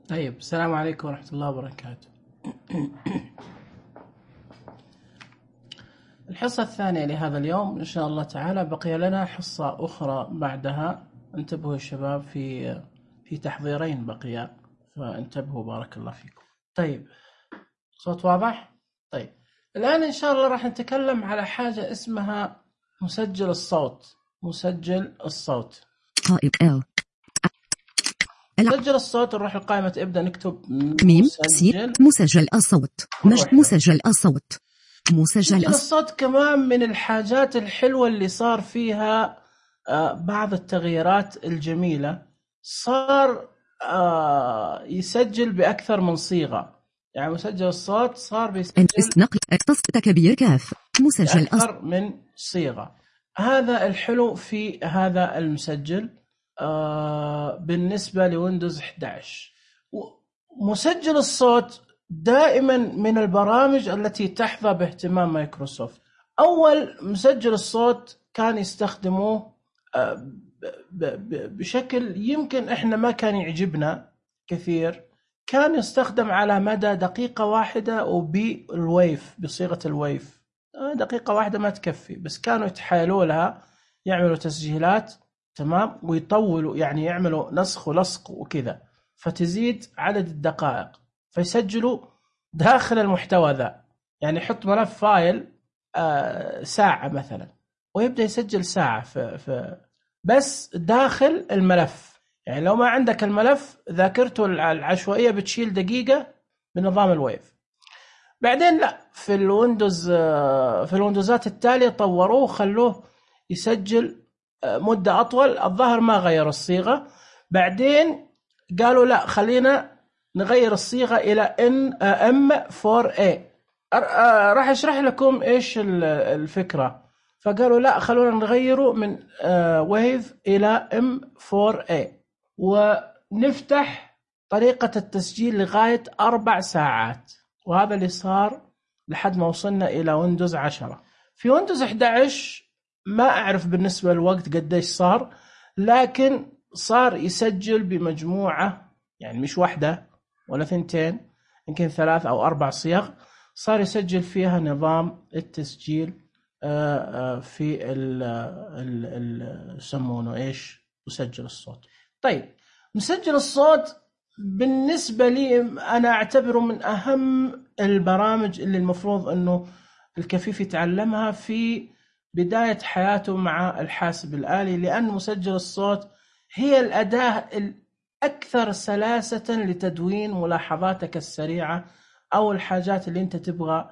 طيب، السلام عليكم ورحمة الله وبركاته. الحصة الثانية لهذا اليوم إن شاء الله تعالى. بقي لنا حصة أخرى بعدها. انتبهوا الشباب، في تحضيرين بقيا، فانتبهوا بارك الله فيكم. طيب، صوت واضح؟ طيب، الآن إن شاء الله راح نتكلم على حاجة اسمها مسجل الصوت. مسجل الصوت. مسجل الصوت، نروح لقائمة ابدأ نكتب مسجل الصوت. مسجل الصوت. مسجل الصوت كمان من الحاجات الحلوة اللي صار فيها بعض التغييرات الجميلة. صار يسجل بأكثر من صيغة، يعني مسجل الصوت صار بيسجل كبير كاف مسجل أكثر من صيغة. هذا الحلو في هذا المسجل بالنسبة لويندوز 11. مسجل الصوت دائما من البرامج التي تحظى باهتمام مايكروسوفت. أول مسجل الصوت كان يستخدموه بشكل يمكن إحنا ما كان يعجبنا كثير. كان يستخدم على مدى دقيقة واحدة وبالويف، بصيغة الويف. دقيقة واحدة ما تكفي، بس كانوا يتحايلوا لها، يعملوا تسجيلات تمام ويطولوا، يعني يعملوا نسخ ولصق وكذا، فتزيد عدد الدقائق، فيسجلوا داخل المحتوى ذا. يعني يحط ملف فايل ساعة مثلا، ويبدأ يسجل ساعة في بس داخل الملف. يعني لو ما عندك الملف، ذاكرته العشوائية بتشيل دقيقة بنظام الويف. بعدين لا، في الويندوز في الويندوزات التالية طوروه وخلوه يسجل مدة أطول. الظاهر ما غير الصيغة. بعدين قالوا لا، خلينا نغير الصيغة إلى M4A. راح أشرح لكم إيش الفكرة. فقالوا لا، خلونا نغيره من ويف إلى M4A، ونفتح طريقة التسجيل لغاية 4 ساعات. وهذا اللي صار لحد ما وصلنا إلى ويندوز 10. في ويندوز 11 ما أعرف بالنسبة للوقت قديش صار، لكن صار يسجل بمجموعة، يعني مش واحدة ولا ثنتين، يمكن 3 أو 4 صيغ صار يسجل فيها نظام التسجيل في يسمونه إيش، مسجل الصوت. طيب، مسجل الصوت بالنسبة لي أنا أعتبره من أهم البرامج اللي المفروض أنه الكفيف يتعلمها في بداية حياته مع الحاسب الآلي، لأن مسجل الصوت هي الأداة الأكثر سلاسة لتدوين ملاحظاتك السريعة أو الحاجات اللي أنت تبغى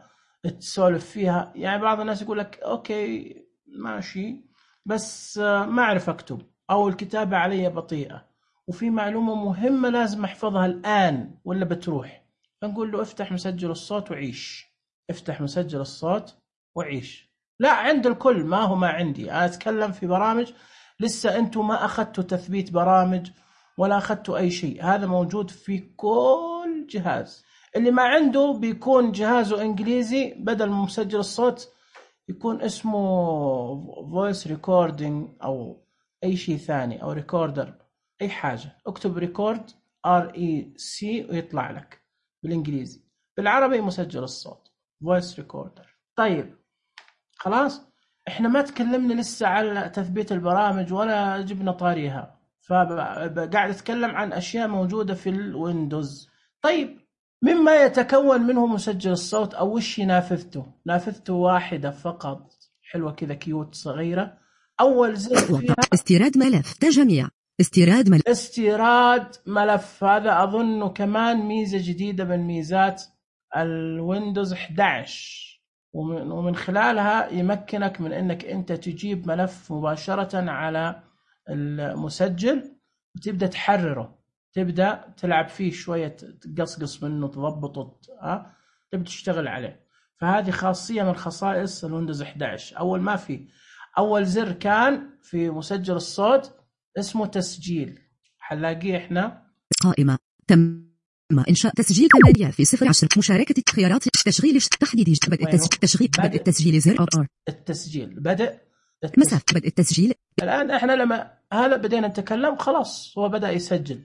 تسولف فيها. يعني بعض الناس يقول لك أوكي ماشي، بس ما أعرف أكتب، أو الكتابة علي بطيئة، وفي معلومة مهمة لازم أحفظها الآن ولا بتروح. فنقول له افتح مسجل الصوت وعيش. افتح مسجل الصوت وعيش. لا، عند الكل، ما هو ما عندي. أنا أتكلم في برامج لسه أنتم ما أخذتوا تثبيت برامج ولا أخذتوا أي شيء. هذا موجود في كل جهاز. اللي ما عنده بيكون جهازه إنجليزي، بدل من مسجل الصوت يكون اسمه voice recording أو أي شيء ثاني، أو ريكوردر، أي حاجة. اكتب ريكورد REC ويطلع لك بالإنجليزي. بالعربي مسجل الصوت voice recorder. طيب خلاص، احنا ما تكلمنا لسه على تثبيت البرامج ولا جبنا طاريها، فقاعد اتكلم عن اشياء موجودة في الويندوز. طيب، مما يتكون منه مسجل الصوت او وش نافذته واحدة فقط، حلوة كذا كيوت صغيرة. اول زر فيها استيراد ملف تجميع، استيراد ملف. هذا اظنه كمان ميزة جديدة من ميزات الويندوز 11، ومن خلالها يمكنك من انك انت تجيب ملف مباشرة على المسجل وتبدأ تحرره، تبدأ تلعب فيه شوية، تقصقص منه، تضبطه، تبدأ تشتغل عليه. فهذه خاصية من خصائص الويندوز 11. ما في اول زر كان في مسجل الصوت اسمه تسجيل، حنلاقيه احنا قائمة تم إنشاء تسجيل 8 في 010 مشاركة خيارات تشغيل تحديد بدء التسجيل زر التسجيل بدء مسافة بدء التسجيل. الآن احنا لما هلا بدينا نتكلم خلاص هو بدأ يسجل.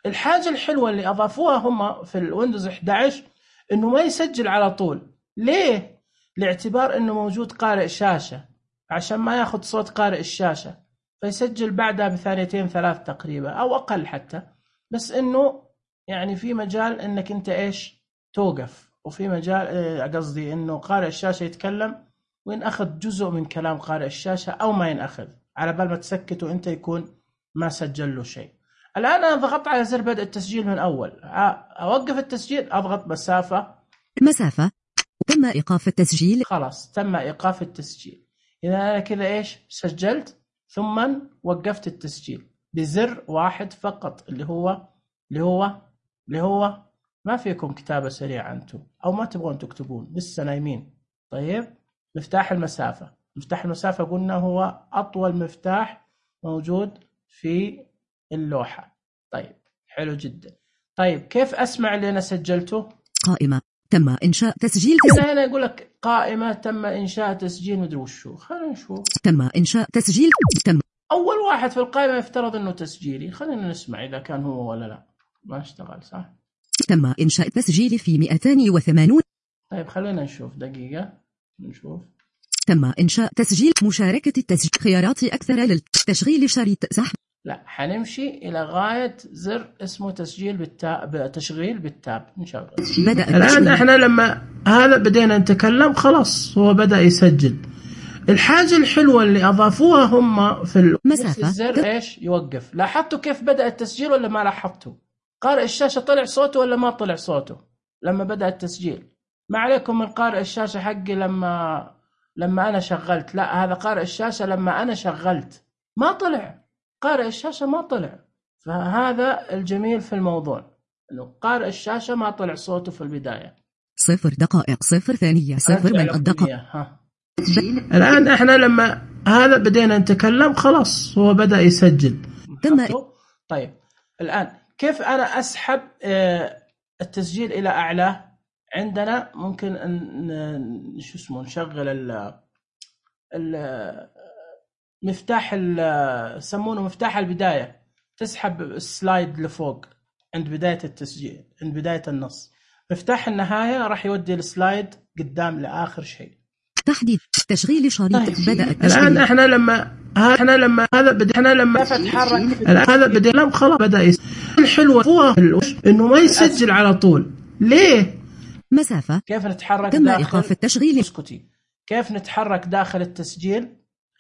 الحاجة الحلوة اللي أضافوها هم في الويندوز 11 إنه ما يسجل على طول. ليه؟ لاعتبار إنه موجود قارئ شاشة، عشان ما ياخد صوت قارئ الشاشة، فيسجل بعدها بثانيتين ثلاث تقريبا أو أقل حتى، بس إنه يعني في مجال إنك أنت إيش توقف، وفي مجال قصدي إنه قارئ الشاشة يتكلم وين أخذ جزء من كلام قارئ الشاشة أو ما ينأخذ، على بال ما تسكت وأنت يكون ما سجل له شيء. الآن أنا ضغطت على زر بدء التسجيل من أول، أوقف التسجيل أضغط مسافة، تم إيقاف التسجيل. خلاص تم إيقاف التسجيل. إذا أنا كذا إيش سجلت ثم وقفت التسجيل بزر واحد فقط، اللي هو ما فيكم كتابة سريعة أنتم أو ما تبغون تكتبون لسه نايمين. طيب مفتاح المسافة، مفتاح المسافة قلنا هو أطول مفتاح موجود في اللوحة. طيب حلو جدا. طيب كيف أسمع اللي أنا سجلته؟ قائمة تم إنشاء تسجيل. هنا يقول لك قائمة تم إنشاء تسجيل مدري وشو. خلينا نشوف. تم إنشاء تسجيل. تم. أول واحد في القائمة يفترض إنه تسجيلي. خلينا نسمع إذا كان هو ولا لا. ما اشتغل صح؟ تم إنشاء تسجيل في 280. طيب خلينا نشوف دقيقة نشوف. تم إنشاء تسجيل مشاركة التسجيل. خيارات أكثر للتشغيل شريط سحب. لا حنمشي إلى غاية زر اسمه تسجيل بالتاب، تشغيل بالتاب. نشغل. الآن إحنا لما هذا بدينا نتكلم خلاص هو بدأ يسجل. الحاجة الحلوة اللي أضافوها هم في مسافة الزر إيش يوقف. لاحظتوا كيف بدأ التسجيل ولا ما لاحظتوا؟ قارئ الشاشة طلع صوته ولا ما طلع صوته لما بدأ التسجيل؟ ما عليكم من قارئ الشاشة حقي لما أنا شغلت، لا هذا قارئ الشاشة لما أنا شغلت ما طلع، قارئ الشاشة ما طلع. فهذا الجميل في الموضوع إنه قارئ الشاشة ما طلع صوته في البداية. 0 دقائق 0 ثانية 0 من الدقائق. الآن إحنا لما هذا بدينا نتكلم خلاص هو بدأ يسجل. طيب الآن كيف أنا أسحب التسجيل إلى أعلى؟ عندنا ممكن شو اسمه نشغل مفتاح يسمونه مفتاح البداية، تسحب السلايد لفوق عند بداية التسجيل، عند بداية النص. مفتاح النهاية راح يودي السلايد قدام لآخر شيء. تحديد تشغيل شريط. بدأ التشغيل. الآن إحنا لما هذا بدينا خلاص بدأ الحلوة هو إنه ما يسجل على طول. ليه؟ مسافة. كيف نتحرك تم إيقاف التشغيل. اسكتي. كيف نتحرك داخل التسجيل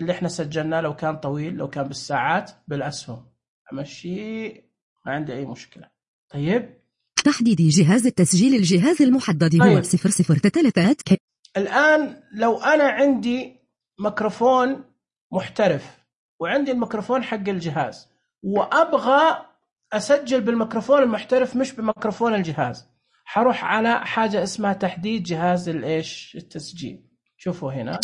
اللي احنا سجلناه؟ لو كان طويل، لو كان بالساعات، بالأسهم. أمشي ما عندي أي مشكلة. طيب تحديد جهاز التسجيل. الجهاز المحدد هو 003. الآن لو أنا عندي ميكروفون محترف وعندي الميكروفون حق الجهاز وأبغى أسجل بالميكروفون المحترف مش بميكروفون الجهاز، حروح على حاجة اسمها تحديد جهاز التسجيل. شوفوا هنا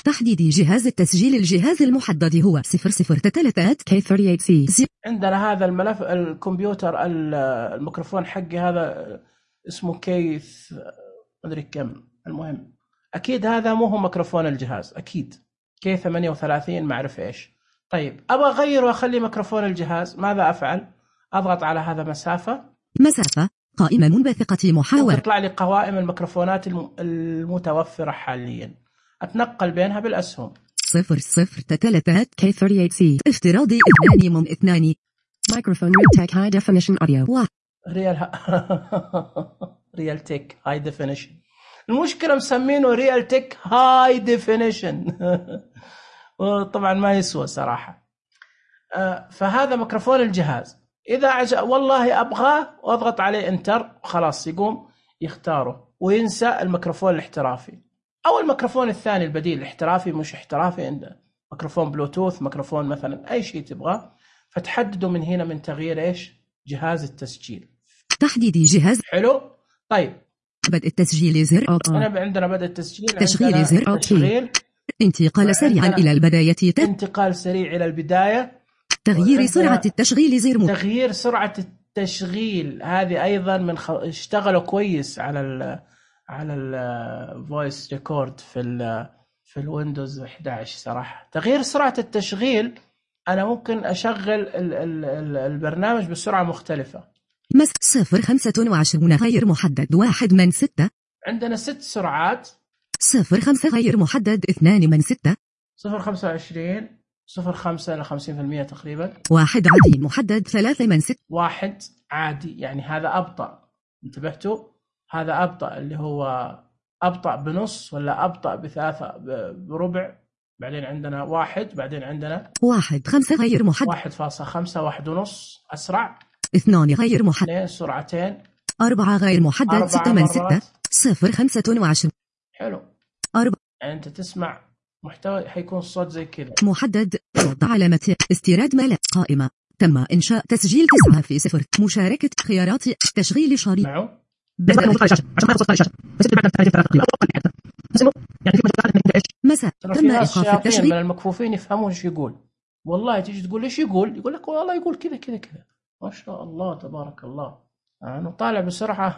تحديد جهاز التسجيل. الجهاز المحدد هو 003 K38C. عندنا هذا الملف الكمبيوتر الميكروفون حقي هذا اسمه كيث مدري كم، المهم أكيد هذا مو هو ميكروفون الجهاز، أكيد K38 ما أعرف إيش. طيب أبغى أغير وأخلي ميكروفون الجهاز، ماذا أفعل؟ أضغط على هذا مسافة قائمة منبثقة محاور. تطلع لي قوائم الميكروفونات المتوفرة حاليا، أتنقل بينها بالأسهم. 003 K38C افتراضي 2 ميكروفون ريالتك هاي ديفينيشن أوديو. ريالتك هاي ديفينيشن. المشكلة مسمينه ريالتك هاي ديفينيشن وطبعا ما يسوى صراحة. فهذا ميكروفون الجهاز. إذا والله أبغاه وأضغط عليه انتر خلاص يقوم يختاره وينسى الميكروفون الاحترافي أو الميكروفون الثاني البديل الاحترافي مش احترافي، عنده ميكروفون بلوتوث، ميكروفون مثلا أي شيء تبغاه، فتحددوا من هنا من تغيير إيش جهاز التسجيل. تحديد جهاز. حلو. طيب بدء التسجيل زر. أنا عندنا بدء التسجيل. تشغيل زر. تشغيل. انتقال سريعا إلى البداية. انتقال سريع إلى البداية. تغيير سرعة التشغيل زر. تغيير سرعة التشغيل هذه أيضا اشتغلوا كويس على الفويس ريكورد في الويندوز 11 صراحة. تغيير سرعة التشغيل أنا ممكن أشغل البرنامج بسرعة مختلفة، صفر 25 غير محدد 1 من 6. عندنا 6 سرعات. 0.5 غير محدد 2 من 6. 0.25 0.5 إلى 50% تقريبا. 1 عادي محدد 3 من 6. 1 عادي يعني هذا أبطأ، انتبهتوا؟ هذا أبطأ اللي هو أبطأ بنص ولا أبطأ بثلاثة بربع. بعدين عندنا 1، بعدين عندنا 1.5 غير محدد 1.5 1.5 أسرع. 2 غير محدد 2 سرعتين. 4 غير محدد 6 من 6. 0.25 حلو. 4 يعني أنت تسمع محتوى حيكون الصوت زي كذا. محدد. وضع علامة استيراد ملف قائمة. تم إنشاء تسجيل 9 في 0. مشاركة خيارات تشغيل شريط. معه مساء. تم إيقاف التشغيل. من المكفوفين يفهمون ايش يقول. والله تيجي تقول ايش يقول لك والله يقول كذا كذا كذا. ما شاء الله تبارك الله. انا طالع بسرعه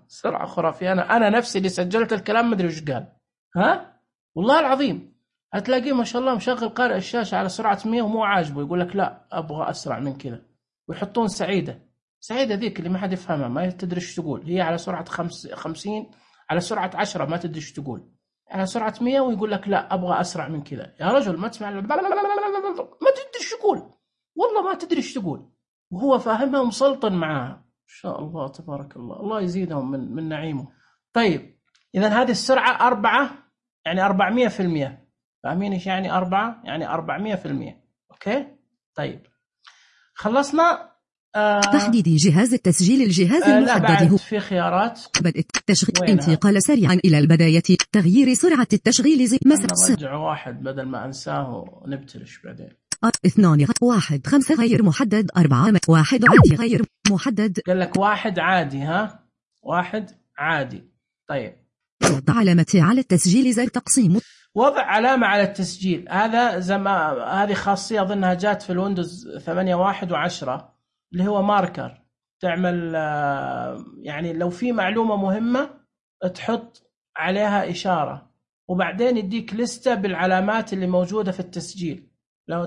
سرعه خرافيه. انا نفسي اللي سجلت الكلام ما ادري وش قال. ها والله العظيم هتلاقيه ما شاء الله مشغل قارئ الشاشه على سرعه 100 ومو عاجبه، يقول لك لا ابغى اسرع من كذا. ويحطون سعيده ذيك اللي ما حد يفهمها، ما تدري ايش تقول. هي على سرعه 50 على سرعه 10 ما تدري ايش تقول. على سرعه 100 ويقول لك لا ابغى اسرع من كذا. يا رجل ما تسمع ما تدري ايش تقول، والله ما تدري ايش تقول، وهو فاهمها ومسلطن معاها. ان شاء الله تبارك الله، الله يزيدهم من نعيمه. طيب اذا هذه السرعه 4 يعني 400%. فاهمين ايش يعني 4؟ يعني 400%. اوكي طيب خلصنا. تحديد جهاز التسجيل. الجهاز المحدد هو في خيارات بدء التشغيل. انتقال سريعا إلى البداية. تغيير سرعة التشغيل زي نرجع 1 بدل ما أنساه ونبتلش بعدين. 2 1 5 غير محدد 4 1 عادي غير محدد. قال لك 1 عادي. ها 1 عادي. طيب وضع علامة على التسجيل زر تقسيم. وضع علامة على التسجيل هذا هذه خاصية أظنها جات في الويندوز 8.1 و10 اللي هو ماركر. تعمل يعني لو في معلومة مهمة تحط عليها إشارة وبعدين يديك لستة بالعلامات اللي موجودة في التسجيل. لو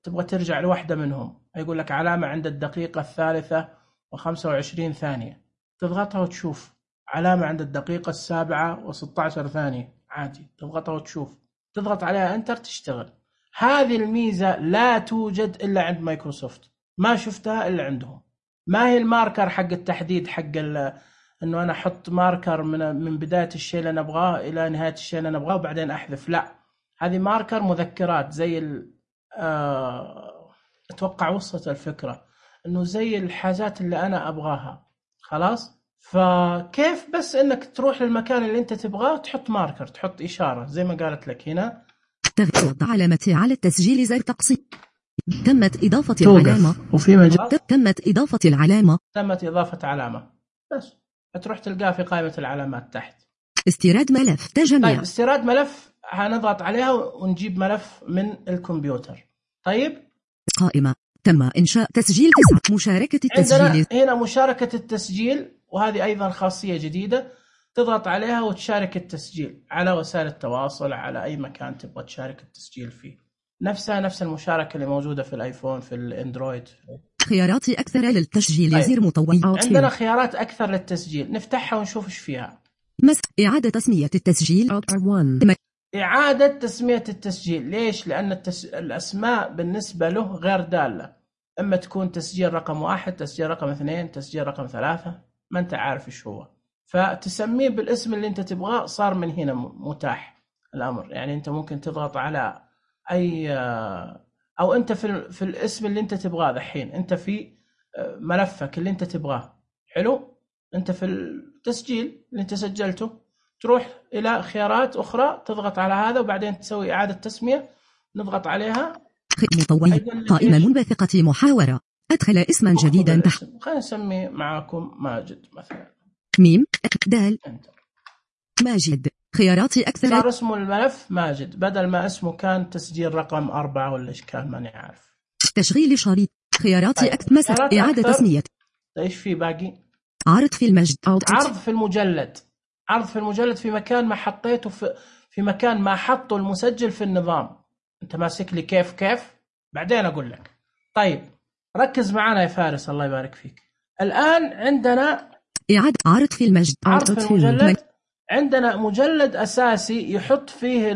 تبغى ترجع لوحدة منهم يقول لك علامة عند الدقيقة 3:25 ثانية، تضغطها وتشوف علامة عند الدقيقة 7:16 ثانية عادي، تضغطها وتشوف، تضغط عليها انتر تشتغل. هذه الميزة لا توجد إلا عند مايكروسوفت، ما شفتها إلا عندهم. ما هي الماركر حق التحديد حق انه انا احط ماركر من بداية الشيء اللي انا ابغاه الى نهاية الشيء اللي انا ابغاه وبعدين احذف. لا، هذه ماركر مذكرات زي اتوقع وصلت الفكرة انه زي الحاجات اللي انا ابغاها. خلاص، فكيف بس انك تروح للمكان اللي انت تبغاه تحط ماركر، تحط اشارة زي ما قالت لك هنا. وضع علامة على التسجيل زر تقسيم. تمت إضافة العلامة. وفي مجال تمت إضافة العلامة. تمت إضافة علامة، بس هتروح تلقاه في قائمة العلامات تحت. استيراد ملف تجميع. طيب استيراد ملف هنضغط عليها ونجيب ملف من الكمبيوتر. طيب قائمة تم إنشاء تسجيل 9. مشاركة التسجيل. هنا مشاركة التسجيل، وهذه أيضا خاصية جديدة. تضغط عليها وتشارك التسجيل على وسائل التواصل، على أي مكان تبغى تشارك التسجيل فيه. نفس المشاركة اللي موجودة في الآيفون في الأندرويد. خيارات أكثر للتسجيل. طيب. زر مطوع. عندنا خيارات أكثر للتسجيل، نفتحها ونشوف إيش فيها. إعادة تسمية التسجيل. إعادة تسمية التسجيل. ليش؟ لأن الأسماء بالنسبة له غير دالة، إما تكون تسجيل رقم 1، تسجيل رقم 2، تسجيل رقم 3، ما أنت عارف إيش هو، فتسميه بالاسم اللي أنت تبغاه. صار من هنا متاح الأمر، يعني أنت ممكن تضغط على أي أو أنت في الاسم اللي أنت تبغاه. الحين أنت في ملفك اللي أنت تبغاه، حلو، أنت في التسجيل اللي أنت سجلته، تروح إلى خيارات أخرى تضغط على هذا وبعدين تسوي إعادة تسمية، نضغط عليها. مطوع. قائمة منبثقة محاورة. أدخل اسما جديدا خلينا نسمي معكم ماجد مثلا. ميم دال ماجد. خيارات أكثر. صار اسمه الملف ماجد بدل ما اسمه كان تسجيل رقم 4 ولا إيش كان، ماني عارف. تشغيل شريط. خيارات أكثر. إعادة تسمية. إيش في باقي؟ عرض في المجد. عرض في المجلد. عرض في المجلد في مكان ما حطيته في مكان ما حطه المسجل في النظام. أنت ماسك لي كيف بعدين أقول لك. طيب ركز معنا يا فارس الله يبارك فيك. الآن عندنا إعادة عرض في المجد. عرض في المجلد. عندنا مجلد أساسي يحط فيه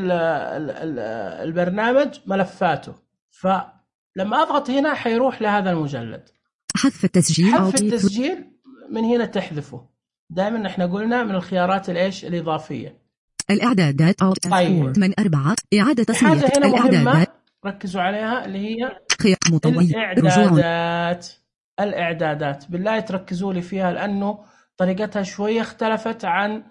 البرنامج ملفاته، فلما أضغط هنا حيروح لهذا المجلد. حذف التسجيل. حذف التسجيل من هنا تحذفه. دائما احنا قلنا من الخيارات الإيش الإضافية. الإعدادات. طيب. من 4 إعادة تصميم. حاجة هنا مهمة ركزوا عليها اللي هي الإعدادات. بالله تركزوا لي فيها لأنه طريقتها شوية اختلفت عن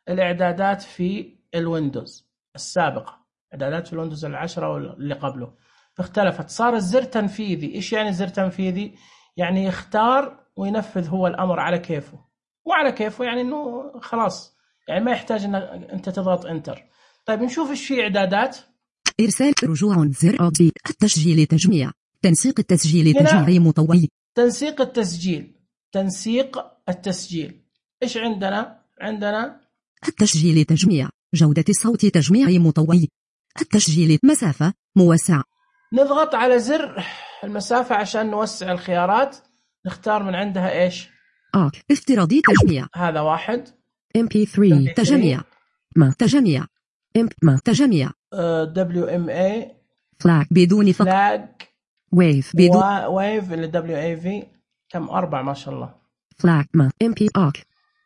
الإعدادات في الويندوز السابقة. إعدادات في الويندوز 10 واللي قبله فاختلفت. صار الزر تنفيذي. إيش يعني زر تنفيذي؟ يعني يختار وينفذ هو الأمر على كيفه. وعلى كيفه يعني إنه خلاص يعني ما يحتاج إن أنت تضغط إنتر. طيب نشوف إيش في إعدادات. إرسال رجوع زر التسجيل تجميع. تنسيق التسجيل تجميع مطوي. تنسيق التسجيل إيش عندنا؟ عندنا التسجيل تجميع جودة الصوت تجميع مطوي. التسجيل مسافة موسع. نضغط على زر المسافة عشان نوسع الخيارات. نختار من عندها إيش؟ افتراضي تجميع. هذا واحد. MP3 تجميع. ما تجميع. ما تجميع. WMA فلاج بدون فقط. فلاج. ويف بدون. ويف اللي WAV كم 4 ما شاء الله. فلاج ما MP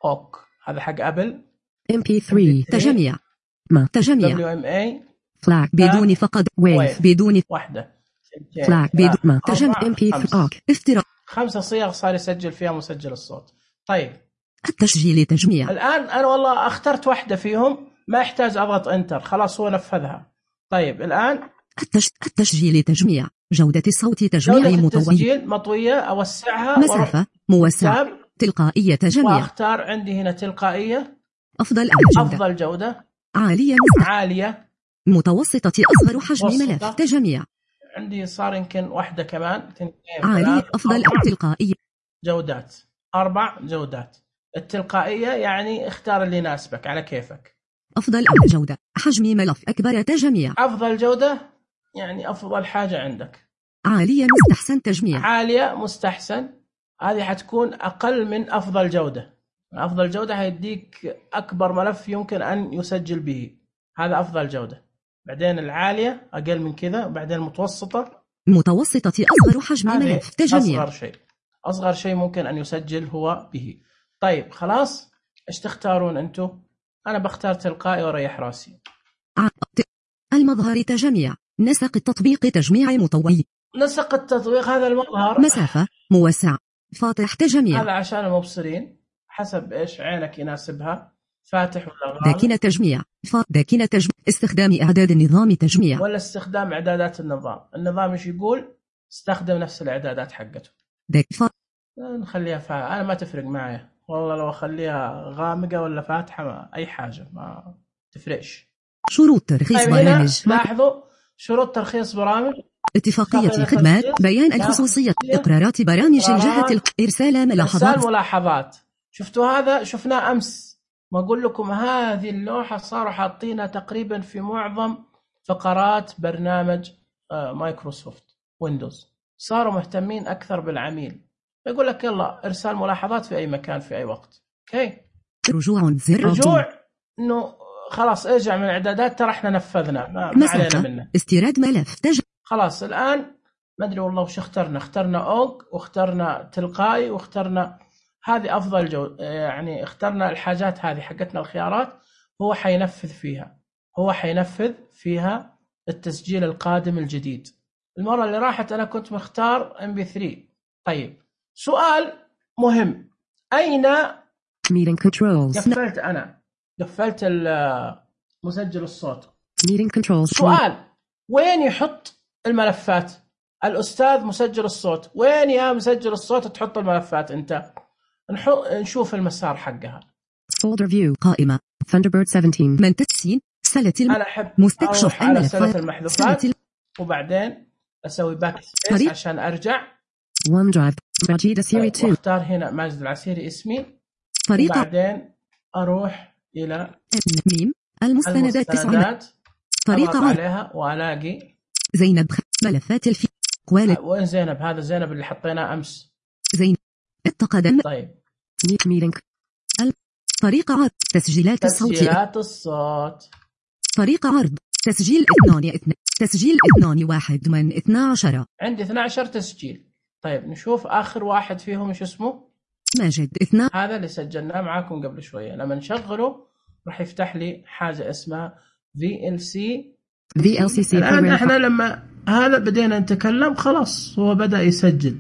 أوك هذا حق أبل. MP3 تجميع. ما تجميع. WMA فلاج بدون فقط. ويف بدون واحدة. فلاج بدون ما تجميع. MP3 افتراض. 5 صيغ صار يسجل فيها مسجل الصوت. طيب التسجيل تجميع. الآن أنا والله اخترت واحدة فيهم ما يحتاج أضغط إنتر خلاص هو نفذها. طيب الآن التسجيل تجميع جودة الصوت تجميع مطوي. التسجيل مطوية أوسعها. مسافة موسع. تلقائية تجميع. واختار عندي هنا تلقائية. أفضل جودة. عالية. متوسطة أصغر حجم ملف تجميع. عندي صار يمكن واحدة كمان. عالية. أفضل تلقائية. جودات 4 جودات. التلقائية يعني اختار اللي يناسبك على كيفك. أفضل جودة حجم ملف أكبر تجميع. أفضل جودة يعني أفضل حاجة عندك. عالية مستحسن تجميع. عالية مستحسن هذه حتكون أقل من أفضل جودة. أفضل جودة هيديك أكبر ملف يمكن أن يسجل به. هذا أفضل جودة. بعدين العالية أقل من كذا. بعدين المتوسطة. متوسطة أصغر حجم ملف تجميع. أصغر شيء ممكن أن يسجل هو به. طيب خلاص إيش تختارون أنتو؟ أنا بختار تلقائي وريح راسي. المظهر تجميع. نسق التطبيق تجميع مطوي. نسق التطبيق هذا المظهر. مسافة موسع. فاتح تجميع. هذا عشان المبصرين حسب إيش عينك يناسبها فاتح ولا غامق. داكنة تجميع. داكنة تجميع. استخدام إعداد النظام تجميع. ولا استخدام إعدادات النظام إيش يقول؟ استخدم نفس الإعدادات حقته. نخليها أنا ما تفرق معي والله لو أخليها غامقة ولا فاتحة أي حاجة ما تفرقش. شروط ترخيص برامج. لاحظوا شروط ترخيص برامج. اتفاقية خدمات. بيان الخصوصية. إقرارات برامج الجهة. إرسال ملاحظات. شفتوا هذا شفناه أمس. ما أقول لكم هذه اللوحة صاروا حاطينها تقريبا في معظم فقرات برنامج مايكروسوفت ويندوز. صاروا مهتمين أكثر بالعميل. يقول لك يلا إرسال ملاحظات في أي مكان في أي وقت. أوكي. رجوع إنه خلاص ارجع من الإعدادات ترى إحنا نفذنا ما علينا منه. استيراد ملف خلاص الآن ما أدري والله وش اخترنا أوج واخترنا تلقائي واخترنا هذه أفضل يعني اخترنا الحاجات هذه حقتنا الخيارات. هو حينفذ فيها التسجيل القادم الجديد. المرة اللي راحت أنا كنت مختار MP3. طيب سؤال مهم. أين قفلت مسجل الصوت. سؤال وين يحط الملفات الأستاذ مسجل الصوت؟ وين يا مسجل الصوت تحط الملفات أنت؟ نشوف المسار حقها. folder view قائمة Thunderbird 17 من تسين سلة أنا أحب مستكشف على سلة المحذوفات وبعدين أسوي باك سبيس عشان أرجع. OneDrive ماجد العسيري 2 واختار هنا ماجد العسيري اسمي. طريقة وبعدين أروح إلى المستندات 9 طريقة عليها وألاقي زينب ملفات الفي وين زينب؟ هذا زينب اللي حطيناه أمس. زينب التقدم. طيب ميلينك. طريقة عرض تسجيلات الصوت. تسجيلات الصوت. طريقة عرض تسجيل 2 تسجيل 2 من 12. عندي 12 تسجيل. طيب نشوف آخر واحد فيهم إيش اسمه. ماجد 2. هذا اللي سجلناه معاكم قبل شوية. لما نشغله راح يفتح لي حاجة اسمها VLC. الآن احنا لما هذا بدينا نتكلم خلاص هو بدأ يسجل.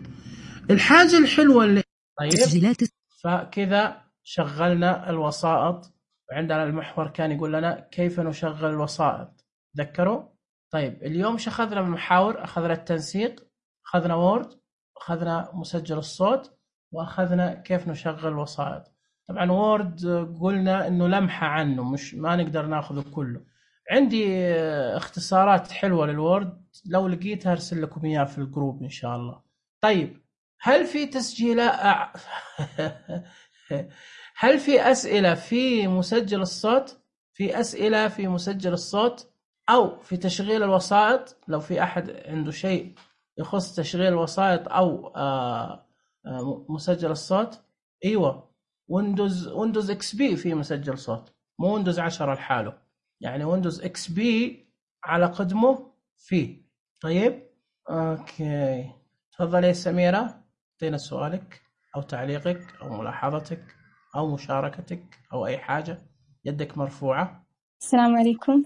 الحاجة الحلوة اللي تسجيلات. فكذا شغلنا الوسائط، وعندنا المحور كان يقول لنا كيف نشغل الوسائط، تذكروا؟ طيب اليوم شو أخذنا من المحاور؟ أخذنا التنسيق، أخذنا وورد، أخذنا مسجل الصوت، وأخذنا كيف نشغل الوسائط. طبعا وورد قلنا إنه لمحة عنه، مش ما نقدر ناخذه كله. عندي اختصارات حلوة للوورد، لو لقيتها أرسل لكم إياها في الجروب إن شاء الله. طيب هل في تسجيلات هل في أسئلة في مسجل الصوت؟ في أسئلة في مسجل الصوت أو في تشغيل الوسائط؟ لو في أحد عنده شيء يخص تشغيل الوسائط أو مسجل الصوت. أيوة، ويندوز اكس بي في مسجل صوت، مو ويندوز 10 لحاله، يعني ويندوز اكس بي على قدمه فيه. طيب اوكي، تفضلي سميرة، اعطينا سؤالك او تعليقك او ملاحظتك او مشاركتك او اي حاجة. يدك مرفوعة. السلام عليكم.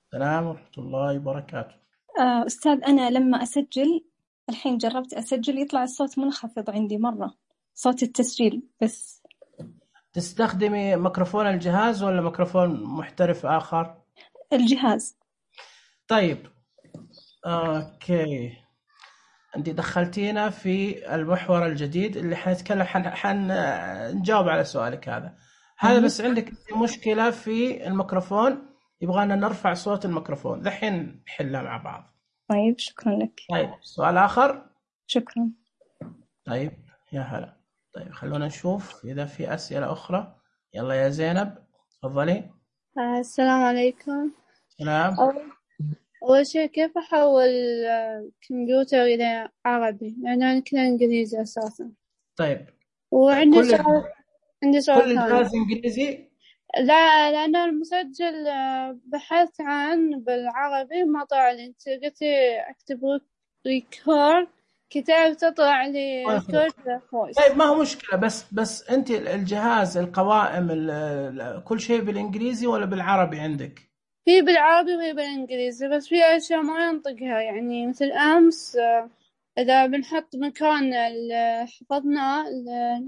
السلام ورحمة الله وبركاته. أستاذ، أنا لما أسجل الحين جربت أسجل يطلع الصوت منخفض عندي مرة، صوت التسجيل بس. تستخدمي ميكروفون الجهاز ولا ميكروفون محترف آخر؟ الجهاز. طيب اوكي، انت دخلتينا في المحور الجديد اللي حنتكلم حنجاوب على سؤالك هذا بس عندك مشكلة في الميكروفون، يبغانا نرفع صوت الميكروفون، دحين نحلها مع بعض. طيب شكرا لك. طيب سؤال آخر. شكرا. طيب يا هلا. طيب خلونا نشوف إذا في أسئلة أخرى. يلا يا زينب تفضلي. السلام عليكم. سلام. أول شيء كيف أحول كمبيوتر إلى عربي؟ لأن أنا كله إنجليزي أساسا. طيب وعندي سؤال. عندي سؤال كل الجهاز إنجليزي؟ لا، لأن المسجل بحثت عن بالعربي ما طلع لي. أنت قلت أكتب ريكورد كتاب تطلع لي ريكورد فويس. طيب ما هو مشكلة، بس أنت الجهاز القوائم كل شيء بالإنجليزي ولا بالعربي عندك؟ هي بالعربي وهي بالإنجليزي، بس في أشياء ما ينطقها، يعني مثل أمس إذا بنحط مكان حفظنا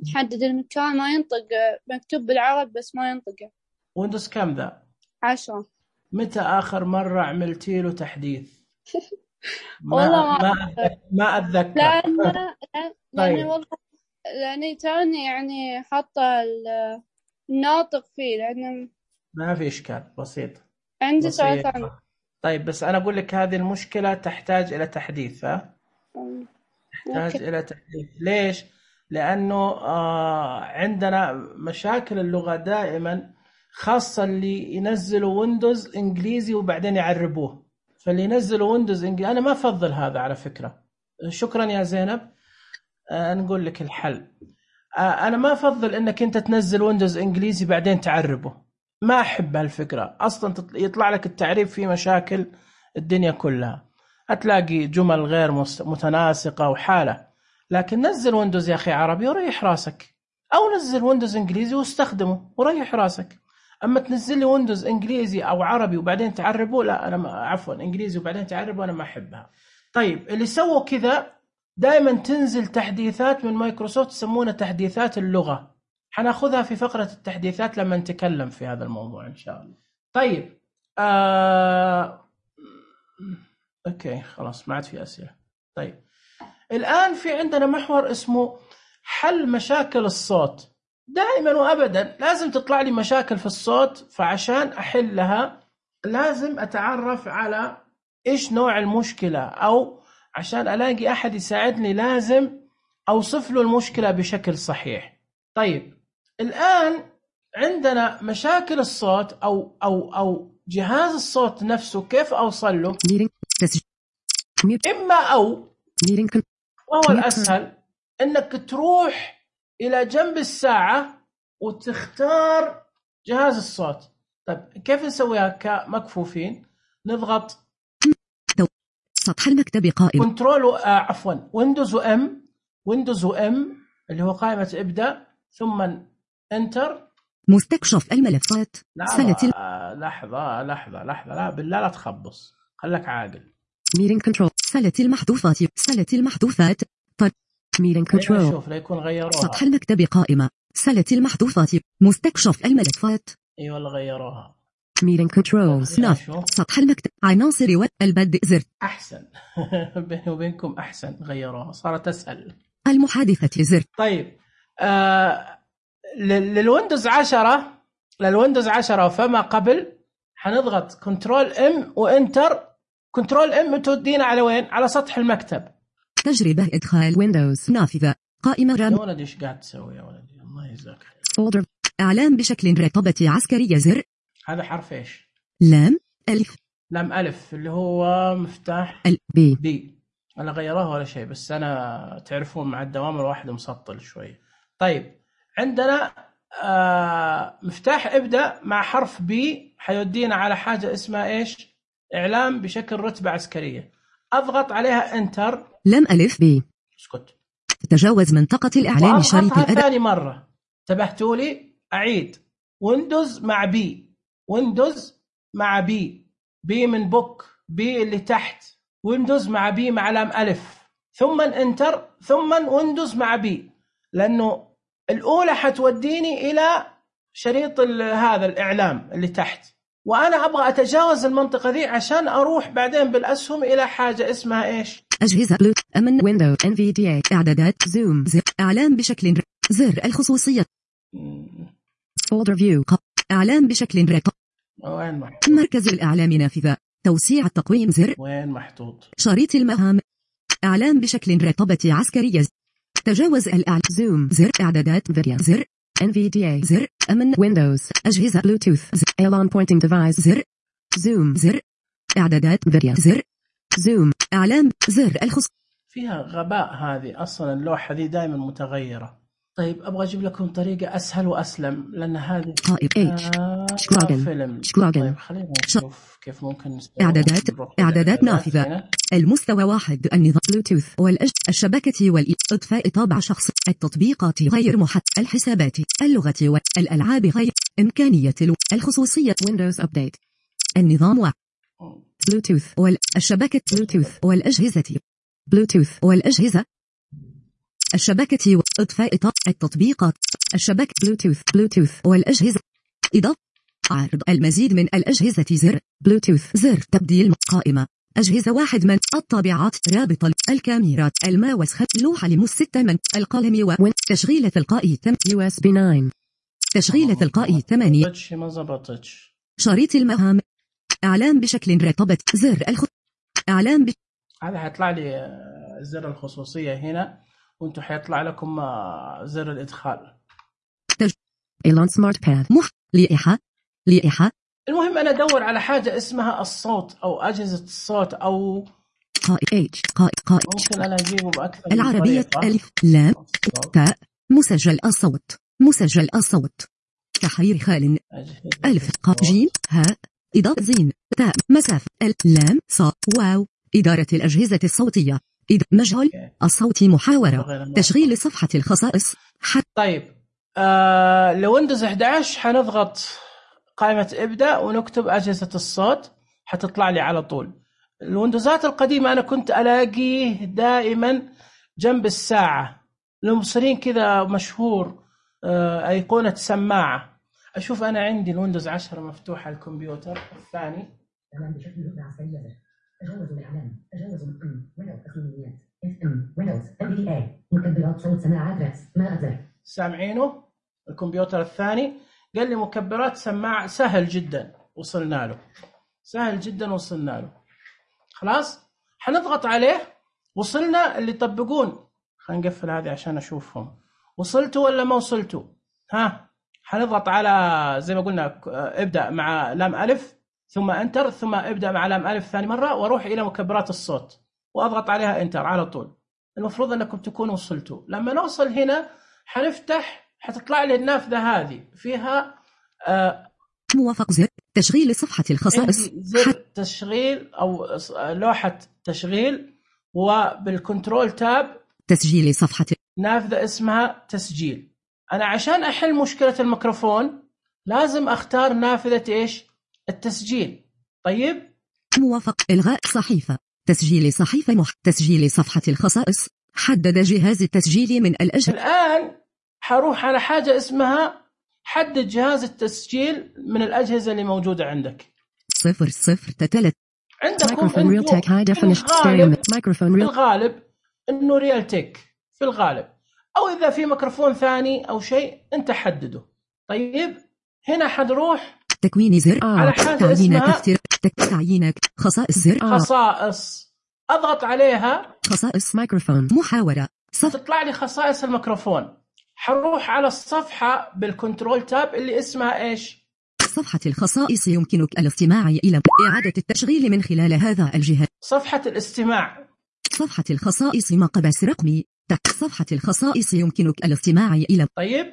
نحدد المكان ما ينطق، مكتوب بالعربي بس ما ينطقه. ويندوز كم ذا؟ 10. متى آخر مرة عملتي له تحديث؟ ما أتذكر. لأني والله لأني توني يعني حاطة الناطق فيه، لأنه ما في إشكال، بسيط. عندي سؤال ثاني. طيب بس أنا أقول لك هذه المشكلة تحتاج إلى تحديث. تحتاج إلى تحديث. ليش؟ لأنه عندنا مشاكل اللغة دائما، خاصة اللي ينزلوا ويندوز إنجليزي وبعدين يعربوه. فاللي ينزلوا ويندوز إنجليزي أنا ما أفضل هذا على فكرة. شكرا يا زينب. نقول لك الحل. أنا ما أفضل إنك أنت تنزل ويندوز إنجليزي بعدين تعربه، ما أحب هالفكرة أصلا. يطلع لك التعريب فيه مشاكل الدنيا كلها، هتلاقي جمل غير متناسقة وحالة. لكن نزل ويندوز يا أخي عربي وريح راسك، أو نزل ويندوز إنجليزي واستخدمه وريح راسك. أما تنزل لي ويندوز إنجليزي أو عربي وبعدين تعربه، لا أنا عفوا إنجليزي وبعدين تعربه، أنا ما أحبها. طيب اللي سووا كذا دائما تنزل تحديثات من مايكروسوفت يسمونها تحديثات اللغة، حناخذها في فقرة التحديثات لما نتكلم في هذا الموضوع إن شاء الله. طيب أوكي خلاص ما عاد في أسئلة. طيب الآن في عندنا محور اسمه حل مشاكل الصوت. دائما وأبدا لازم تطلع لي مشاكل في الصوت، فعشان أحلها لازم أتعرف على إيش نوع المشكلة، أو عشان ألاقي أحد يساعدني لازم أوصف له المشكلة بشكل صحيح. طيب الآن عندنا مشاكل الصوت أو جهاز الصوت نفسه كيف أوصل له؟ إما أو وهو الأسهل إنك تروح إلى جنب الساعة وتختار جهاز الصوت. طيب كيف نسويها كمكفوفين؟ نضغط سطح المكتب قائمة كنترول عفوا ويندوز وام اللي هو قائمة ابدأ ثم انتر. مستكشف الملفات لحظة لا بالله لا تخبص، خلك عاقل. ميرين كنترول سلة المحذوفات طيب ميرين كنترول شوف لا يكون غيروها. سطح المكتب قائمة سلة المحذوفات مستكشف الملفات. اي والله غيروها. ميرين كنترول سطح المكتب عناصر والبدء زر احسن. بيني وبينكم احسن غيروها صارت اسهل. المحادثة زر. طيب للويندوز 10 فما قبل حنضغط كنترول ام وانتر. كنترول ام تودينا على وين؟ على سطح المكتب. تجربة ادخال ويندوز نافذة قائمة رام. يا ولدي ايش قاعد تسوي يا ولدي؟ الله يجزاك خير. فولدر اعلام بشكل رقابة عسكرية زر. هذا حرف ايش؟ لام الف اللي هو مفتاح بي. انا غيروها ولا شيء، بس انا تعرفون مع الدوام الواحد مسطل شوي. طيب عندنا مفتاح ابدأ مع حرف بي حيودينا على حاجة اسمها ايش؟ اعلام بشكل رتبة عسكرية. اضغط عليها انتر. لام الف بي. اسكت. تجاوز منطقة الاعلام شريط الاداء. ثاني مرة انتبهتوا لي؟ اعيد. ويندوز مع بي من بوك، بي اللي تحت، ويندوز مع بي مع لام ألف، ثم انتر، ثم ويندوز مع بي، لأنه الأولى حتوديني إلى شريط هذا الإعلام اللي تحت، وأنا أبغى أتجاوز المنطقة دي عشان أروح بعدين بالأسهم إلى حاجة اسمها إيش؟ أجهزة بلوت أمن ويندو NVDA إعدادات زوم زر إعلام بشكل زر الخصوصية فولدر فيو إعلام بشكل رقم. وين محطوط؟ مركز الإعلام نافذة توسيع التقويم زر. وين محطوط؟ شريط المهام إعلام بشكل رقابة عسكرية. تجاوز الإعلام زوم زر إعدادات فيريا زر NVDA زر أمن ويندوز أجهزة بلوتوث زر Elon pointing device زر زوم زر إعدادات فيريا زر زوم إعلام زر الخص. فيها غباء هذه أصلا اللوحة دي دائما متغيرة. طيب أبغى أجيب لكم طريقة أسهل وأسلم، لأن هذه فيلم. طيب خلينا نشوف كيف ممكن إعدادات نافذة المستوى 1 النظام بلوتوث الشبكة والإطفاء طابع شخص التطبيقات غير الحسابات اللغة والألعاب غير إمكانية الخصوصية ويندوز أبديت النظام بلوتوث والشبكة بلوتوث والأجهزة بلوتوث والأجهزة الشبكة وإطفاء التطبيقات الشبكة بلوتوث والأجهزة إضافة عرض المزيد من الأجهزة زر بلوتوث زر تبديل قائمة أجهزة 1 من الطابعات رابط الكاميرات الماوس لوحة لمس 6 من القلم تشغيل تلقائي USB 9 تشغيل تلقائي 8 ما زبطتش. شريط المهام إعلام بشكل رقابة زر إعلام هذا حيطلع لي زر الخصوصية هنا، وانتم حيطلع لكم زر الإدخال. إيلون سمارت باد لائحة. المهم أنا أدور على حاجة اسمها الصوت أو أجهزة الصوت أو قائد ممكن أنا أجيبه بأكثر العربية ألف لام تاء مسجل الصوت تحرير خال ألف جيم هاء إضافة زين تاء مسافة لام صا واو إدارة الأجهزة الصوتية مجهول الصوت محاورة تشغيل صفحة الخصائص طيب لويندوز 11 حنضغط قائمة ابدأ ونكتب أجهزة الصوت حتطلع لي على طول. الويندوزات القديمة أنا كنت ألاقيه دائما جنب الساعة، المبصرين كذا مشهور أيقونة سماعة. أشوف أنا عندي الويندوز 10 مفتوحة الكمبيوتر الثاني تجاوزوا الإعلام تجاوزوا ويندوز تقنيات ويندوز NVDA مكبرات صوت سماعات رأس ما أزر. سامعينه؟ الكمبيوتر الثاني قال لي مكبرات سماعة. سهل جدا وصلنا له. خلاص حنضغط عليه. وصلنا اللي يطبقون. خلينا نقفل هذه عشان أشوفهم وصلتوا ولا ما وصلتوا. حنضغط على زي ما قلنا ابدأ مع لام ألف ثم انتر ثم ابدأ مع لام ألف ثاني مرة واروح إلى مكبرات الصوت واضغط عليها انتر على طول. المفروض أنكم تكونوا وصلتوا. لما نوصل هنا حنفتح، حتطلع لي النافذة هذه فيها موافق زر تشغيل صفحة الخصائص، زر تشغيل أو لوحة تشغيل، وبالكنترول تاب تسجيل صفحة نافذة اسمها تسجيل. أنا عشان أحل مشكلة الميكروفون لازم أختار نافذة إيش؟ التسجيل. طيب موافق إلغاء صحيفة تسجيل صحيفة تسجيل صفحة الخصائص، حدد جهاز التسجيل من الأجهزة. الآن حروح على حاجة اسمها حدد جهاز التسجيل من الأجهزة اللي موجودة عندك. 003 عندكم مايكروفون الغالب إنه ريال تك في الغالب، أو إذا في ميكروفون ثاني أو شيء أنت حدده. طيب هنا حنروح تكوين زر على حاجة اسمها تعيينك خصائص زر خصائص، أضغط عليها خصائص ميكروفون محاورة تطلع لي خصائص الميكروفون. حروح على الصفحة بالكنترول تاب اللي اسمها إيش؟ صفحة الخصائص. يمكنك الاستماع إلى إعادة التشغيل من خلال هذا الجهاز. صفحة الاستماع. صفحة الخصائص مقبس رقمي. صفحة الخصائص يمكنك الاستماع إلى. طيب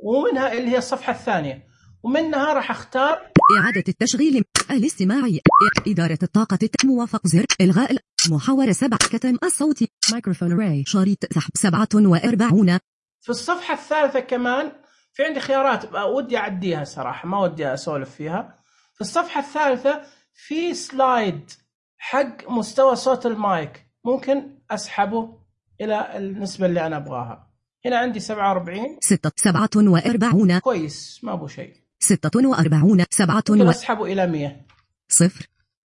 ومنها اللي هي الصفحة الثانية، ومنها راح اختار إعادة التشغيل الاستماع إدارة الطاقة. موافق زر إلغاء محاورة 7 كتم الصوت مايكروفون راي شريط سحب 47. في الصفحة الثالثة كمان في عندي خيارات ودي أعديها صراحة، ما ودي أسولف فيها. في الصفحة الثالثة في سلايد حق مستوى صوت المايك، ممكن أسحبه إلى النسبة اللي أنا أبغاها. هنا عندي 47 47 كويس، ما أبو شيء. 46 7 أسحبه إلى 100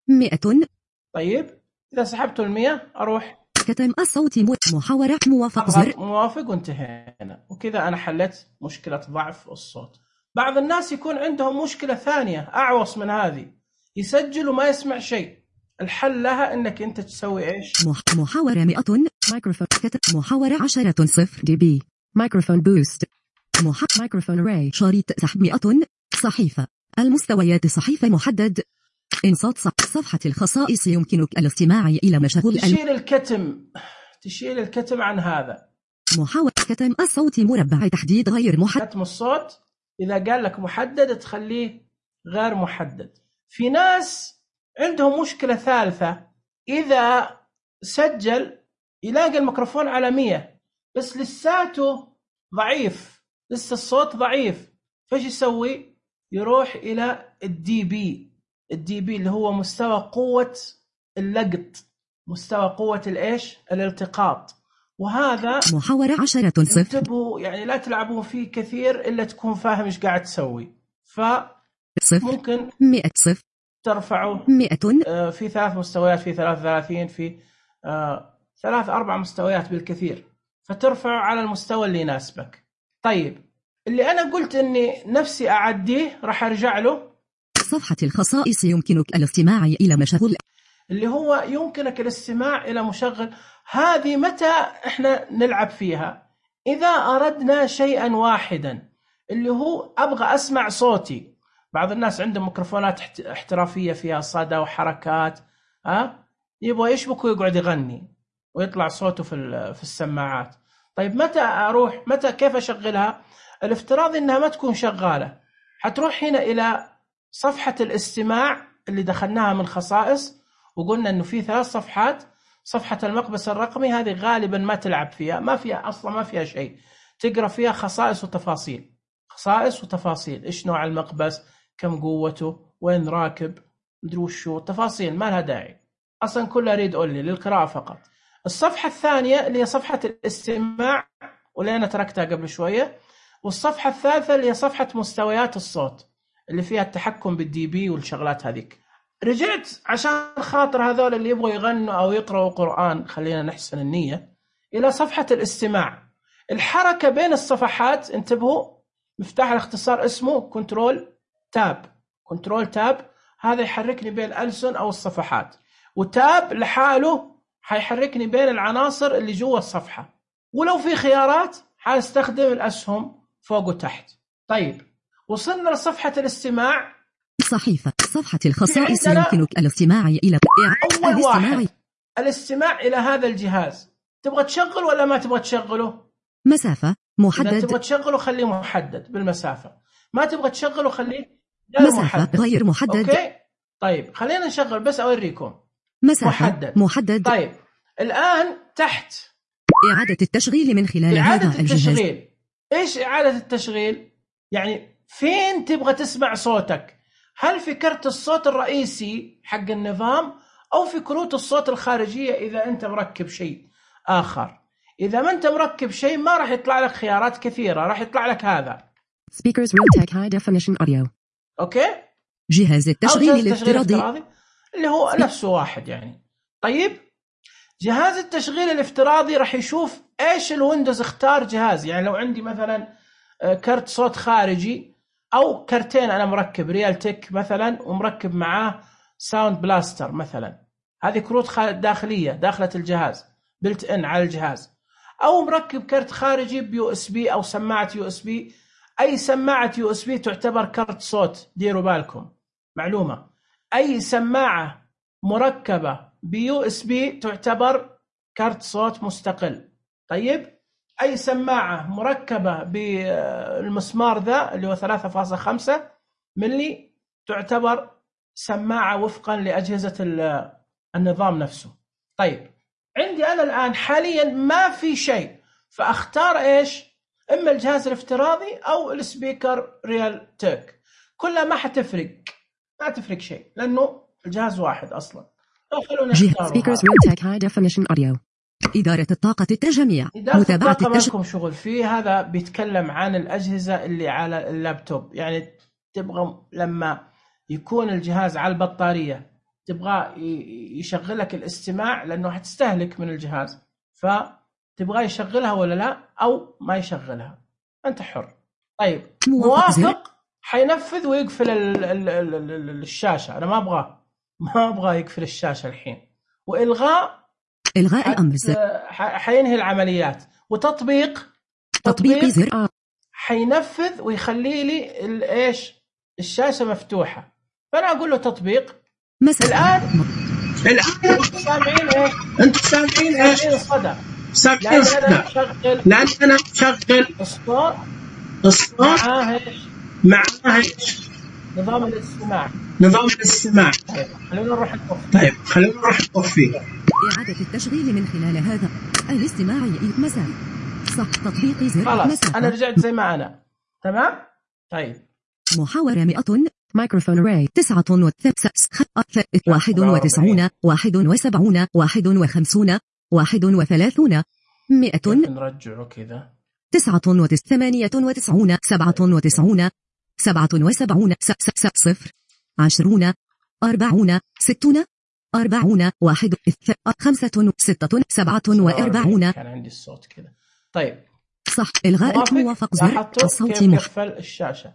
100. طيب إذا سحبته 100 أروح كتم الصوت محاورة. موافق زر موافق وانتهينا. وكذا أنا حلت مشكلة ضعف الصوت. بعض الناس يكون عندهم مشكلة ثانية أعوص من هذه، يسجل وما يسمع شيء. الحل لها إنك أنت تسوي إيش؟ محاورة 100 مايكروفون محاورة 10 0 دي بي مايكروفون بوست مايكروفون راي شريط سحب 100 صحيفة المستويات صحيفة محدد إنصات صفحة الخصائص. يمكنك الاستماع إلى مشغول تشيل الكتم عن هذا. محاولة كتم الصوت مربع تحديد غير محدد. كتم الصوت إذا قال لك محدد تخليه غير محدد. في ناس عندهم مشكلة ثالثة، إذا سجل يلاقي الميكروفون على 100 بس لساته ضعيف، لسه الصوت ضعيف، فايش يسوي؟ يروح إلى الدي بي اللي هو مستوى قوة اللقط، مستوى قوة الإيش؟ الالتقاط. وهذا محاورة 10 0 انتبهوا يعني لا تلعبوا فيه كثير إلا تكون فاهم إيش قاعد تسوي. ممكن 100 0 ترفعه 100 في 3 مستويات، في 33، في 3-4 مستويات بالكثير، فترفعه على المستوى اللي يناسبك. طيب اللي أنا قلت إني نفسي أعديه راح أرجع له. صفحة الخصائص يمكنك الاستماع إلى مشغول، اللي هو يمكنك الاستماع إلى مشغل. هذه متى إحنا نلعب فيها؟ إذا أردنا شيئا واحدا، اللي هو أبغى أسمع صوتي. بعض الناس عندهم ميكروفونات احترافية فيها صدى وحركات، يبغى يشبك ويقعد يغني ويطلع صوته في السماعات. طيب متى كيف أشغلها؟ الافتراض إنها ما تكون شغالة، حتروح هنا إلى صفحة الاستماع اللي دخلناها من خصائص، وقلنا إنه في 3 صفحات. صفحة المقبس الرقمي هذه غالبا ما تلعب فيها، ما فيها شيء، تقرأ فيها خصائص وتفاصيل، إيش نوع المقبس، كم قوته، وين راكب، مدري وشو، تفاصيل ما لها داعي أصلا، كلها ريد أولي للقراءة فقط. الصفحة الثانية اللي هي صفحة الاستماع واللي أنا تركتها قبل شوية، والصفحة الثالثة اللي هي صفحة مستويات الصوت اللي فيها التحكم بالدي بي والشغلات هذيك. رجعت عشان خاطر هذول اللي يبغوا يغنوا أو يقرأوا قرآن، خلينا نحسن النية، إلى صفحة الاستماع. الحركة بين الصفحات، انتبهوا، مفتاح الاختصار اسمه كنترول تاب، هذا يحركني بين الألسن أو الصفحات، وتاب لحاله حيحركني بين العناصر اللي جوا الصفحة. ولو في خيارات حاستخدم الأسهم فوق وتحت. طيب وصلنا لصفحة الاستماع. صفحة الخصائص يمكنك الاستماع إلى أول واحد الاستماع إلى هذا الجهاز. تبغى تشغل ولا ما تبغى تشغله؟ مسافة إذا محدد. تبغى تشغله خليه محدد بالمسافة، ما تبغى تشغله خليه غير مسافة محدد. غير محدد. أوكي طيب خلينا نشغل بس أوريكم. مسافة محدد. طيب الآن تحت إعادة التشغيل من خلال إعادة هذا الجهاز. التشغيل. إيش إعادة التشغيل؟ يعني فين تبغى تسمع صوتك؟ هل في كرت الصوت الرئيسي حق النظام أو في كروت الصوت الخارجية إذا أنت مركب شيء آخر؟ إذا ما أنت مركب شيء ما راح يطلع لك خيارات كثيرة، راح يطلع لك هذا Speakers Realtek High Definition Audio. أوكي؟ جهاز التشغيل الافتراضي اللي هو نفسه واحد يعني. طيب جهاز التشغيل الافتراضي راح يشوف إيش الويندوز اختار جهاز. يعني لو عندي مثلا كرت صوت خارجي أو كرتين أنا مركب ريالتك مثلا ومركب معاه ساوند بلاستر مثلا، هذه كروت داخلية داخلة الجهاز بلت إن على الجهاز، أو مركب كرت خارجي بيو اس بي أو سماعة يو اس بي. أي سماعة يو اس بي تعتبر كرت صوت، ديروا بالكم معلومة، أي سماعة مركبة بيو اس بي تعتبر كرت صوت مستقل. طيب أي سماعة مركبة بالمسمار ذا اللي هو 3.5 ملي تعتبر سماعة وفقا لأجهزة النظام نفسه. طيب عندي أنا الآن حاليا ما في شيء، فأختار إيش؟ إما الجهاز الافتراضي أو السبيكر ريالتك، كلها ما تفرق شيء لأنه الجهاز واحد أصلا. جهاز Speakers Realtek High Definition Audio. إدارة الطاقة التجميع. متابعة لكم شغل فيه. هذا بيتكلم عن الأجهزة اللي على اللابتوب. يعني تبغى لما يكون الجهاز على البطارية تبغى يشغلك الاستماع لأنه هتستهلك من الجهاز، فتبغى يشغلها ولا لا أو ما يشغلها، أنت حر. طيب موافق حينفذ ويقفل الشاشة. أنا ما أبغى يقفل الشاشة الحين. وإلغاء الأمر حينهي العمليات. وتطبيق زر حينفذ ويخلي لي إيش الشاشة مفتوحة. فأنا أقول له تطبيق. الآن سامعين إيه؟ أنت سامعين إيش؟ صدى. لأن أنا شغل الصوت معاه إيش؟ نظام الاستماع. طيب خلونا نروح نطفيه. إعادة التشغيل من خلال هذا الاستماعي مساء. صح تطبيق زر خلاص أنا رجعت زي ما أنا تمام. طيب محاورة 100 مايكروفون راي 99 91 71 51 31 100 نرجعه كذا 98 97 97 77 0 20 40 60 40 1 5 6 47. كان عندي الصوت كذا. طيب صح إلغاء موافق زر الصوت يقفل الشاشة.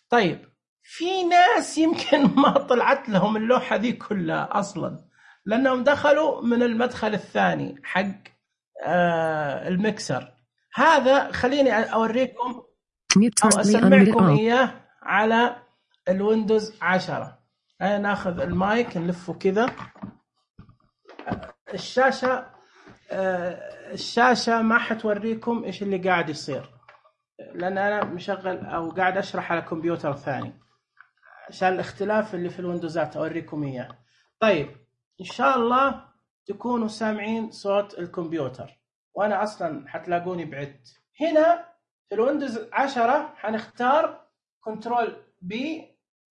طيب في ناس يمكن ما طلعت لهم اللوحة دي كلها أصلا لأنهم دخلوا من المدخل الثاني حق المكسر هذا. خليني أوريكم أو أسمعكم إياه على الويندوز 10. ناخذ المايك نلفه كذا. الشاشة ما حتوريكم إيش اللي قاعد يصير لأن أنا مشغل أو قاعد أشرح على كمبيوتر ثاني عشان الاختلاف اللي في الويندوزات أوريكم إياه. طيب إن شاء الله تكونوا سامعين صوت الكمبيوتر وأنا أصلا حتلاقوني بعدت. هنا في الويندوز 10 حنختار كنترول بي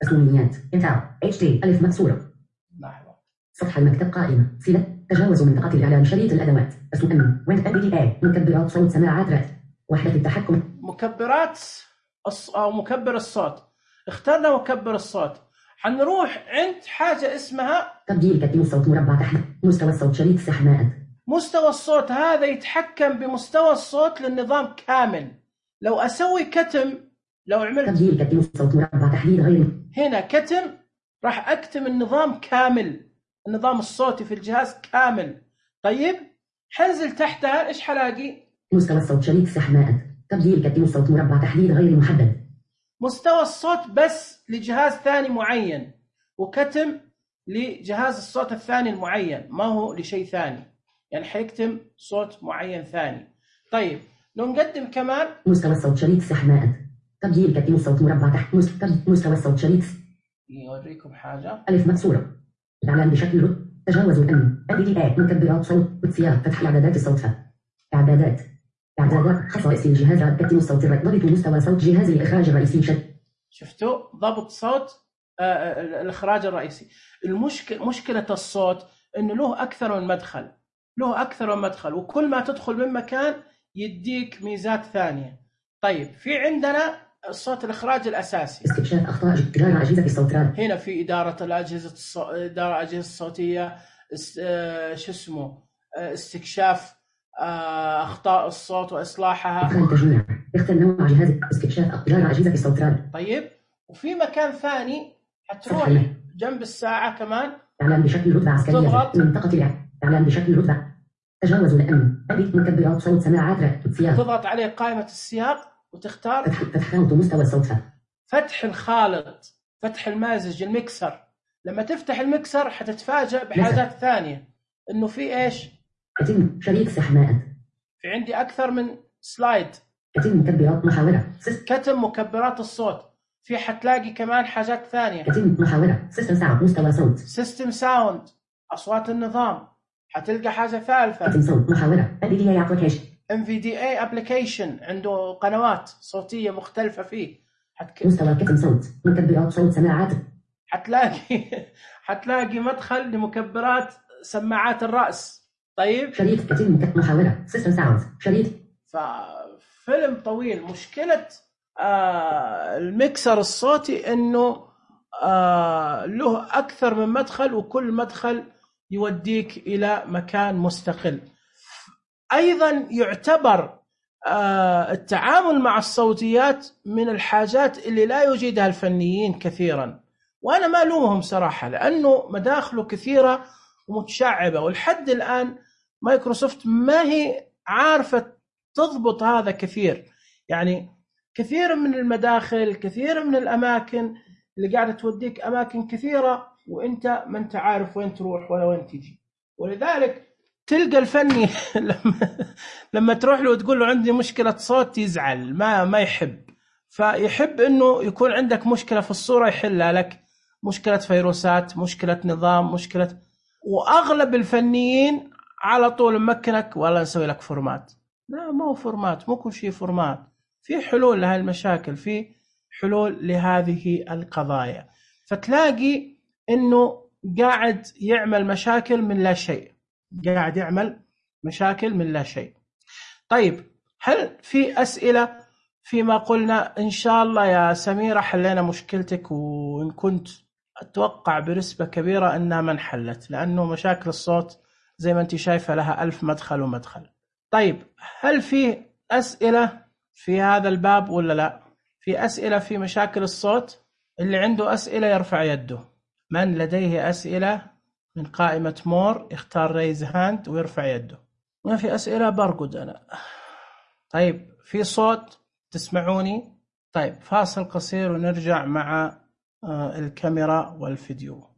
أسميات انتر اتش تي ألف مكسورة. لحظة. سطح المكتب قائمة فيلة تجاوز منطقة الإعلان شريط الأدوات اسم ويند ام بي اي مكبرات صوت سماعات رد وحدة التحكم مكبرات أو مكبر الصوت. اخترنا مكبر الصوت. حنروح عند حاجة اسمها تبديل كتم الصوت مربع تحت مستوى الصوت شريط سحمات. مستوى الصوت هذا يتحكم بمستوى الصوت للنظام كامل. لو أسوي كتم لو عملت تبديل كتم الصوت مربع تحديد غير هنا كتم راح أكتم النظام كامل النظام الصوتي في الجهاز كامل. طيب حنزل تحتها إيش حلاقي؟ مستوى الصوت شريط سحمات. تبديل كتم الصوت مربع تحديد غير محدد. مستوى الصوت بس لجهاز ثاني معين وكتم لجهاز الصوت الثاني المعين ما هو لشيء ثاني. يعني حيكتم صوت معين ثاني. طيب لو نقدم كمان مستوى الصوت شريط سحماء تبديل قدم الصوت مربع تحت مستوى الصوت شريط يوريكم حاجة ألف مكسورة إعلان بشكل تجاوز الأمن NVDA مكبرات صوت وسياق فتح إعدادات الصوت إعدادات خصائص الجهاز قدم الصوت ضبط مستوى صوت جهاز الإخراج الرئيسي شفتوا ضبط صوت الإخراج الرئيسي. مشكلة الصوت إنه له أكثر من مدخل وكل ما تدخل من مكان يديك ميزات ثانية. طيب في عندنا الصوت الإخراج الأساسي، استكشاف أخطاء إدارة أجهزة الصوتيات، هنا في إدارة الأجهزة الصوتية، استكشاف أخطاء الصوت وإصلاحها، تجميع اختر نوع جهاز استكشاف إدارة أجهزة الصوتيات. طيب وفي مكان ثاني هتروح جنب الساعة كمان إعلان بشكل رتبة عسكرية منطقة إعلان بشكل رتبة تجاوز الأمن مكبرات صوت سماعات سياق، تضغط عليه قائمة السياق وتختار فتح خانة مستوى الصوت، فتح الخالط، فتح المازج الميكسر. لما تفتح الميكسر حتتفاجأ بحاجات ثانية، إنه في إيش؟ يتم شريط سحماء، في عندي أكثر من سلايد، يتم مكبرات محاورة، كتم مكبرات الصوت. في حتلاقي كمان حاجات ثانية، يتم محاورة سيستم ساوند مستوى صوت، سيستم ساوند أصوات النظام. حتلقى حاجة ثالثة، كتم صوت محاورة NVDA application عنده قنوات صوتية مختلفة فيه. مستوى كتم صوت مكبرات صوت سماعات، حتلاقي مدخل لمكبرات سماعات الرأس. طيب شريط كتم محاورة سيستم ساوند شريط. ففيلم طويل. مشكلة الميكسر الصوتي إنه له أكثر من مدخل وكل مدخل يوديك إلى مكان مستقل. أيضا يعتبر التعامل مع الصوتيات من الحاجات اللي لا يجيدها الفنيين كثيرا، وأنا ما ألومهم صراحة لأنه مداخله كثيرة ومتشعبة، والحد الآن مايكروسوفت ما هي عارفة تضبط هذا كثير. يعني كثير من المداخل، كثير من الأماكن اللي قاعدة توديك أماكن كثيرة وإنت ما أنت عارف وين تروح ولا وين تيجي. ولذلك تلقى الفني لما تروح له وتقول له عندي مشكلة صوت يزعل، ما يحب. فيحب إنه يكون عندك مشكلة في الصورة يحلها لك، مشكلة فيروسات، مشكلة نظام، مشكلة. وأغلب الفنيين على طول ممكنك والله نسوي لك فورمات. لا، ما هو فورمات، مو كل شيء فورمات. في حلول لهذه المشاكل، في حلول لهذه القضايا. فتلاقي إنه قاعد يعمل مشاكل من لا شيء، طيب هل في أسئلة فيما قلنا؟ إن شاء الله يا سميرة حلينا مشكلتك، وإن كنت أتوقع بنسبة كبيرة أنها ما انحلت، لأنه مشاكل الصوت زي ما أنت شايفة لها 1000 مدخل ومدخل. طيب هل في أسئلة في هذا الباب ولا لا؟ في أسئلة في مشاكل الصوت؟ اللي عنده أسئلة يرفع يده. من لديه أسئلة من قائمة مور يختار ريز هاند ويرفع يده. ما في أسئلة برقد أنا. طيب في صوت تسمعوني؟ طيب فاصل قصير ونرجع مع الكاميرا والفيديو.